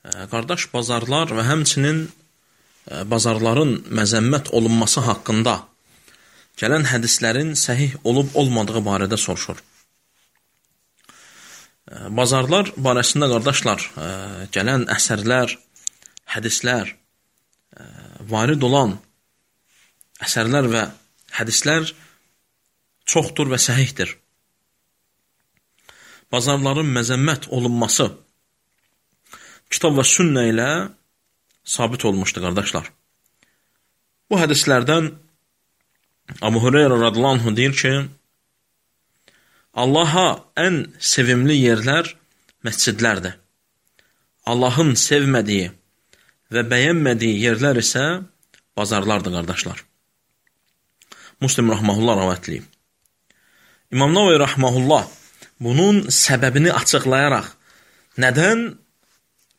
Qardaş, bazarlar və həmçinin bazarların məzəmmət olunması haqqında gələn hədislərin səhih olub-olmadığı barədə soruşur. Bazarlar barəsində, qardaşlar, gələn əsərlər, hədislər, varid olan əsərlər və hədislər çoxdur və səhihdir. Bazarların məzəmmət olunması kitab və sünnə ilə sabit olmuşdu, qardaşlar. Bu hədislərdən Abu Hureyra radhiyallahu anh deyir ki, Allaha ən sevimli yerlər məscidlərdir. Allahın sevmədiyi və bəyənmədiyi yerlər isə bazarlardır, qardaşlar. Müslim rahmehullah rəvayatləyib. İmam Nəvəvi rahmehullah bunun səbəbini açıqlayaraq, nədən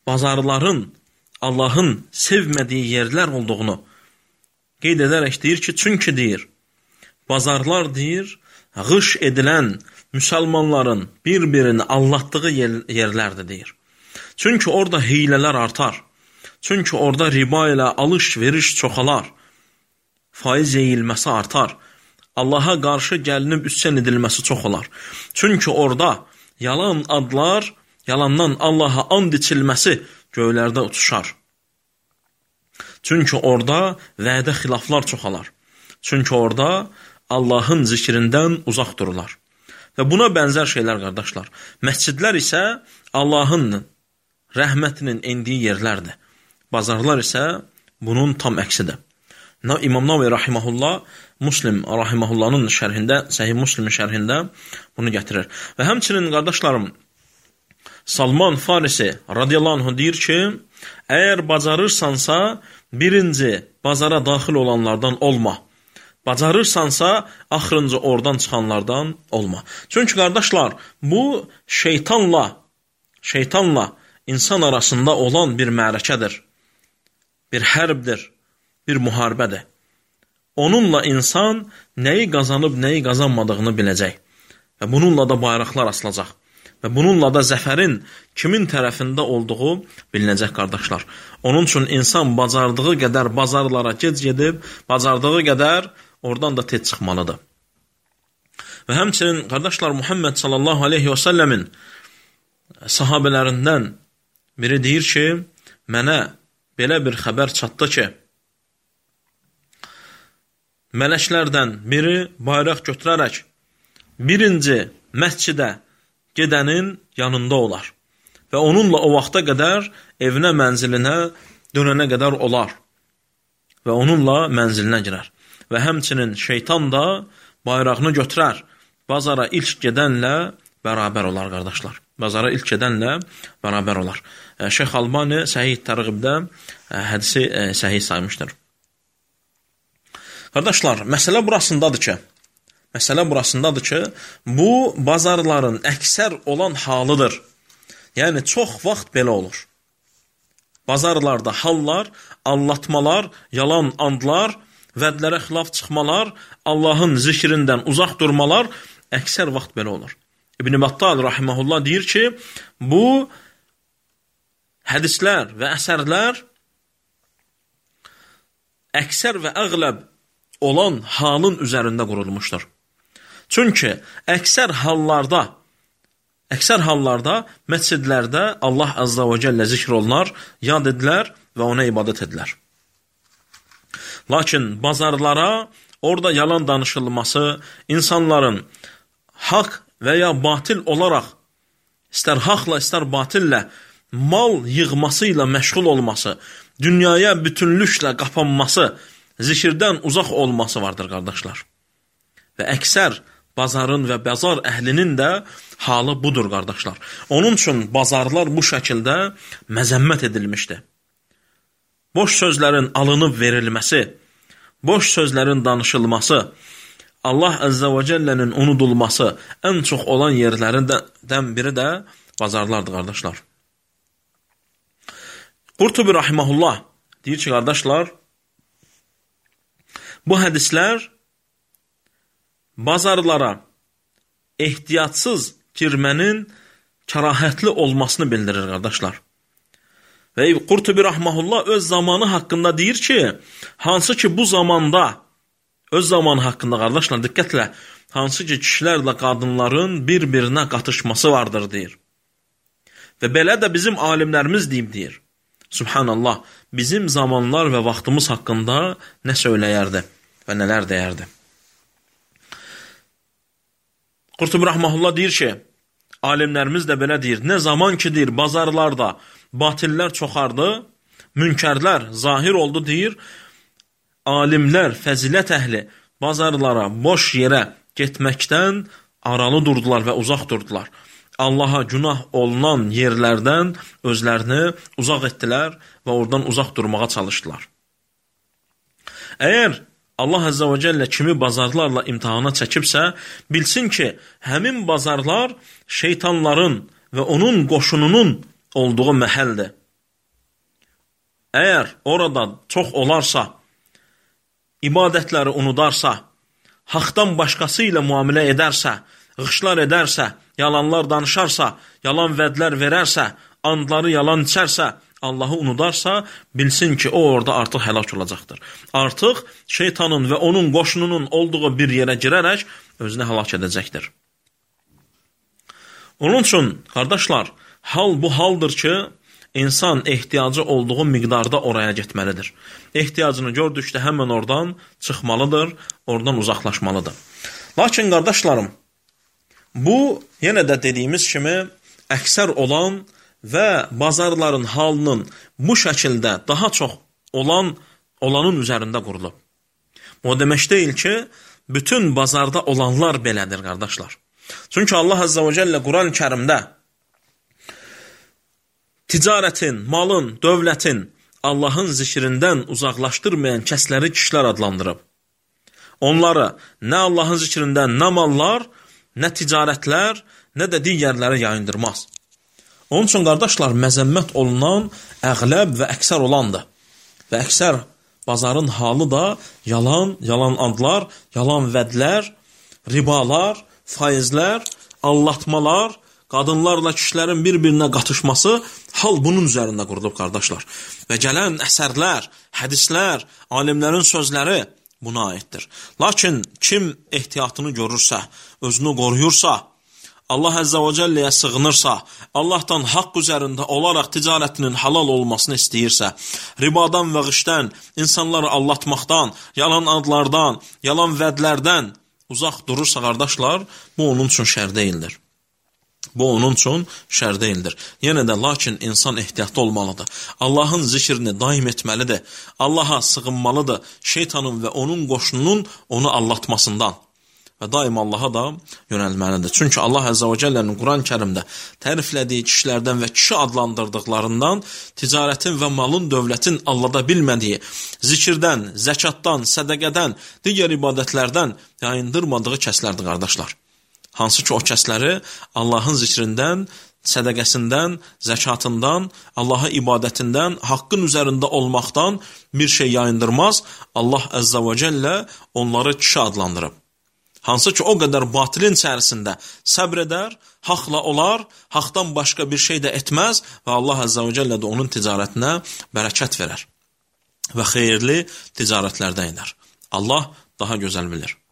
bazarların Allahın sevmədiyi yerlər olduğunu qeyd edərək deyir ki, çünki deyir, bazarlar deyir, qış edilən müsəlmanların bir-birini aldatdığı yerlərdir deyir. Çünki orada hiylələr artar. Çünki orada riba ilə alış-veriş çoxalar. Faiz yeyilməsi artar. Allaha qarşı gəlinib üsyan edilməsi çox olar. Çünki orada yalan adlar, yalandan Allaha and içilməsi göylərdə uçuşar. Çünki orada vədə xilaflar çoxalar. Çünki orada Allahın zikrindən uzaq dururlar. Və buna bənzər şeylər, qardaşlar. Məscidlər isə Allahın rəhmətinin endiyi yerlərdir. Bazarlar isə bunun tam əksidir. İmam Nəvəvi rahimehullah Müslim rahimehullahın şərhində, Səhih Müslimin şərhində bunu gətirir. Və həmçinin, qardaşlarım, Salman Farisi radiyallahu anh deyir ki, əgər bacarırsansa, birinci bazara daxil olanlardan olma. Bacarırsansa, axırıncı oradan çıxanlardan olma. Çünki, qardaşlar, bu şeytanla insan arasında olan bir mərakədir, bir hərbdir, bir müharibədir. Onunla insan nəyi qazanıb, nəyi qazanmadığını biləcək. Və bununla da bayraqlar asılacaq. Və bununla da zəfərin kimin tərəfində olduğu bilinəcək, qardaşlar. Onun üçün insan bacardığı qədər bazarlara gec gedib, bacardığı qədər oradan da tez çıxmalıdır. Və həmçinin, qardaşlar, Muhammed sallallahu aleyhi və səlləmin sahabələrindən biri deyir ki, mənə belə bir xəbər çatdı ki, mələklərdən biri bayraq götürərək birinci məscidə gedənin yanında olar və onunla o vaxta qədər evinə, mənzilinə dönənə qədər olar və onunla mənzilinə girər. Və həmçinin şeytan da bayrağını götürər, bazara ilk gedənlə bərabər olar, qardaşlar. Bazara ilk gedənlə bərabər olar. Şeyx Albani Səhih Tərğibdə hədisi səhih saymışdır. Qardaşlar, məsələ burasındadır ki, bu bazarların əksər olan halıdır. Yəni, çox vaxt belə olur. Bazarlarda hallar, allatmalar, yalan andlar, vədlərə xilaf çıxmalar, Allahın zikrindən uzaq durmalar əksər vaxt belə olur. İbn Battal rahimehullah deyir ki, bu hədislər və əsərlər əksər və əğləb olan halın üzərində qurulmuşdur. Çünki əksər hallarda məscidlərdə Allah azza və cəllə zikr olunar, yad edilər və ona ibadət edilər. Lakin bazarlara orada yalan danışılması, insanların haqq və ya batil olaraq, istər haqla, istər batillə mal yığması ilə məşğul olması, dünyaya bütünlüklə qapanması, zikirdən uzaq olması vardır, qardaşlar. Və əksər bazarın və bazar əhlinin də halı budur, qardaşlar. Onun üçün bazarlar bu şəkildə məzəmmət edilmişdir. Boş sözlərin alınıb verilməsi, boş sözlərin danışılması, Allah Əzzə və Cəllənin unudulması ən çox olan yerlərindən biri də bazarlardır, qardaşlar. Qurtubi rahimehullah deyir ki, qardaşlar, bu hədislər bazarlara ehtiyatsız girmənin kərahətli olmasını bildirir, qardaşlar. Və Qurtubi rahmehullah öz zamanı haqqında deyir ki, hansı ki bu zamanda, öz zamanı haqqında qardaşlar diqqətlə, hansı ki kişilərlə qadınların bir-birinə qatışması vardır deyir. Və belə də bizim alimlərimiz deyir. Subhanallah, bizim zamanlar və vaxtımız haqqında nə söyləyərdi və nələr deyərdi. Qurtubi rahmehullah deyir ki, alimlərimiz də belə deyir, nə zaman ki deyir, bazarlarda batillər çoxardı, münkərlər zahir oldu deyir, alimlər, fəzilət əhli bazarlara, boş yerə getməkdən aralı durdular və uzaq durdular. Allaha günah olunan yerlərdən özlərini uzaq etdilər və oradan uzaq durmağa çalışdılar. Əgər Allah Əzzə və Cəllə kimi bazarlarla imtihana çəkibsə, bilsin ki, həmin bazarlar şeytanların və onun qoşununun olduğu məhəldir. Əgər orada çox olarsa, ibadətləri unudarsa, haqdan başqası ilə müamilə edərsə, qışlar edərsə, yalanlar danışarsa, yalan vədlər verərsə, andları yalan içərsə, Allahı unudarsa, bilsin ki, o orada artıq həlak olacaqdır. Artıq şeytanın və onun qoşununun olduğu bir yerə girərək özünü həlak edəcəkdir. Onun üçün, qardaşlar, hal bu haldır ki, insan ehtiyacı olduğu miqdarda oraya getməlidir. Ehtiyacını gördükdə həmən oradan çıxmalıdır, oradan uzaqlaşmalıdır. Lakin, qardaşlarım, bu, yenə də dediyimiz kimi, əksər olan və bazarların halının bu şəkildə daha çox olanın üzərində qurulub. O demək deyil ki, bütün bazarda olanlar belədir, qardaşlar. Çünki Allah Əzzə və Cəllə Quran-ı Kərimdə ticarətin, malın, dövlətin Allahın zikrindən uzaqlaşdırmayan kəsləri kişilər adlandırıb. Onları nə Allahın zikrindən nə mallar, nə ticarətlər, nə də digərləri yayındırmaz. Onun üçün, qardaşlar, məzəmmət olunan əğləb və əksər olandır. Və əksər bazarın halı da yalan adlar, yalan vədlər, ribalar, faizlər, allatmalar, qadınlarla kişilərin bir-birinə qatışması hal bunun üzərində qurulub, qardaşlar. Və gələn əsərlər, hədislər, alimlərin sözləri buna aiddir. Lakin kim ehtiyatını görürsə, özünü qoruyursa, Allah Əzzə və Cəlləyə sığınırsa, Allahdan haqq üzərində olaraq ticarətinin halal olmasını istəyirsə, ribadan və qışdən, insanları allatmaqdan, yalan adlardan, yalan vədlərdən uzaq durursa, qardaşlar, bu onun üçün şər deyildir. Bu onun üçün şər deyildir. Yenə də, lakin insan ehtiyatlı olmalıdır. Allahın zikrini daim etməlidir. Allaha sığınmalıdır şeytanın və onun qoşununun onu allatmasından. Və daim Allaha da yönəlməlidir. Çünki Allah Əzzə və Cəllənin Quran-ı Kərimdə təriflədiyi kişilərdən və kişi adlandırdıqlarından ticarətin və malın, dövlətin allada bilmədiyi, zikirdən, zəkatdan, sədəqədən, digər ibadətlərdən yayındırmadığı kəslərdir, qardaşlar. Hansı ki, o kəsləri Allahın zikrindən, sədəqəsindən, zəkatından, Allaha ibadətindən, haqqın üzərində olmaqdan bir şey yayındırmaz. Allah Əzzə və Cəllə onları kişi adlandırıb. Hansı ki, o qədər batilin içərisində səbr edər, haqla olar, haqdan başqa bir şey də etməz və Allah Əzzə və Cəllə də onun ticarətinə bərəkət verər və xeyirli ticarətlərdən edər. Allah daha gözəl bilir.